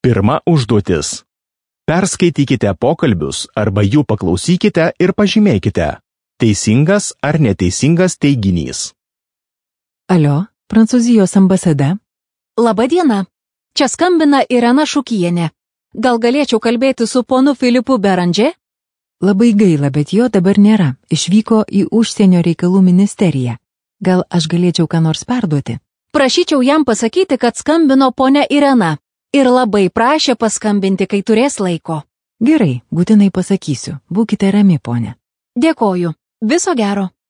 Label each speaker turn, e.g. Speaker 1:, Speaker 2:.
Speaker 1: Pirma užduotis. Perskaitykite pokalbius arba jų paklausykite ir pažymėkite. Teisingas ar neteisingas teiginys.
Speaker 2: Alio, Prancūzijos ambasada.
Speaker 3: Labadiena. Čia skambina Irena Šukienė. Gal galėčiau kalbėti su ponu Filipu Berandžė?
Speaker 2: Labai gaila, bet jo dabar nėra. Išvyko į užsienio reikalų ministeriją. Gal aš galėčiau ką nors perduoti?
Speaker 3: Prašyčiau jam pasakyti, kad skambino ponia Irena. Ir labai prašė paskambinti, kai turės laiko.
Speaker 2: Gerai, būtinai pasakysiu. Būkite rami, ponė.
Speaker 3: Dėkoju. Viso gero.